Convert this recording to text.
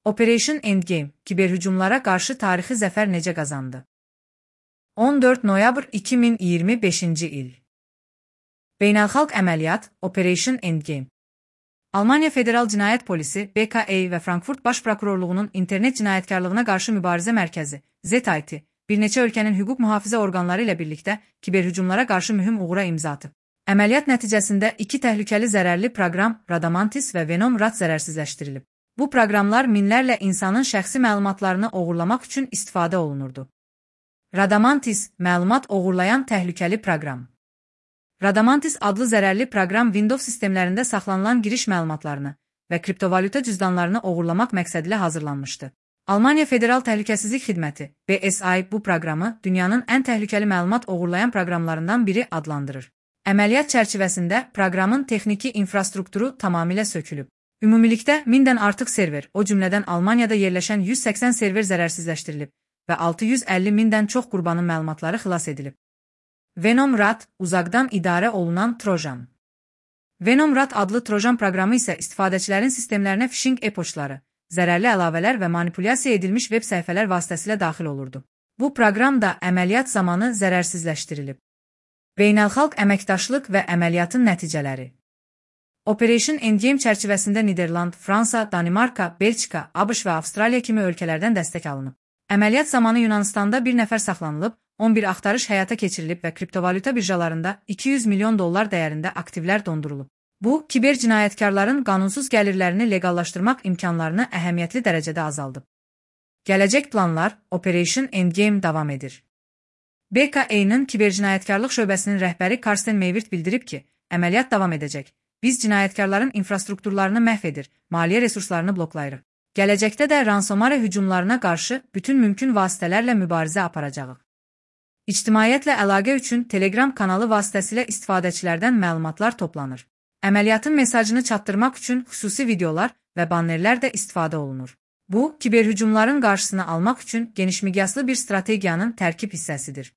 Operation Endgame, kiberhücumlara qarşı tarixi zəfər necə qazandı? 14 noyabr 2025-ci il. Beynəlxalq əməliyyat Operation Endgame. Almaniya Federal Cinayət Polisi, BKA və Frankfurt Baş Prokurorluğunun internet cinayətkarlığına qarşı mübarizə mərkəzi, ZIT, bir neçə ölkənin hüquq mühafizə orqanları ilə birlikdə kiberhücumlara qarşı mühüm uğura imza atıb. Əməliyyat nəticəsində iki təhlükəli zərərli proqram Radamantis və Venom Rat zərərsizləşdirilib. Bu proqramlar minlərlə insanın şəxsi məlumatlarını oğurlamaq üçün istifadə olunurdu. Radamantis, məlumat oğurlayan təhlükəli proqram. Radamantis adlı zərərli proqram Windows sistemlərində saxlanılan giriş məlumatlarını və kriptovalyuta cüzdanlarını oğurlamaq məqsədilə hazırlanmışdı. Almaniya Federal Təhlükəsizlik Xidməti, BSI, bu proqramı dünyanın ən təhlükəli məlumat oğurlayan proqramlarından biri adlandırır. Əməliyyat çərçivəsində proqramın texniki infrastrukturu tamamilə sökülüb. Ümumilikdə 1000-dən artıq server, o cümlədən Almaniyada yerləşən 180 server zərərsizləşdirilib və 650 mindən çox qurbanın məlumatları xilas edilib. Venom Rat, uzaqdan idarə olunan Trojan. Venom Rat adlı Trojan proqramı isə istifadəçilərin sistemlərinə phishing e-poçtları, zərərli əlavələr və manipulyasiya edilmiş web səhifələr vasitəsilə daxil olurdu. Bu proqram da əməliyyat zamanı zərərsizləşdirilib. Beynəlxalq əməkdaşlıq və əməliyyatın nəticələri. Operation Endgame çərçivəsində Niderland, Fransa, Danimarka, Belçika, ABŞ və Avstraliya kimi ölkələrdən dəstək alınıb. Əməliyyat zamanı Yunanistanda bir nəfər saxlanılıb, 11 axtarış həyata keçirilib və kriptovalyuta birjalarında 200 milyon dollar dəyərində aktivlər dondurulub. Bu, kiber cinayətkarların qanunsuz gəlirlərini leqallaşdırmaq imkanlarını əhəmiyyətli dərəcədə azaldıb. Gələcək planlar, Operation Endgame davam edir. BKA-nın kibercinayətkarlıq şöbəsinin rəhbəri Karsten Meyvirt bildirib ki, əməliyyat davam edəcək. Biz cinayətkarların infrastrukturlarını məhv edir, maliyyə resurslarını bloklayırıq. Gələcəkdə də ransomware hücumlarına qarşı bütün mümkün vasitələrlə mübarizə aparacağıq. İctimaiyyətlə əlaqə üçün Telegram kanalı vasitəsilə istifadəçilərdən məlumatlar toplanır. Əməliyyatın mesajını çatdırmaq üçün xüsusi videolar və bannerlər də istifadə olunur. Bu, kiberhücumların qarşısını almaq üçün genişmiqyaslı bir strategiyanın tərkib hissəsidir.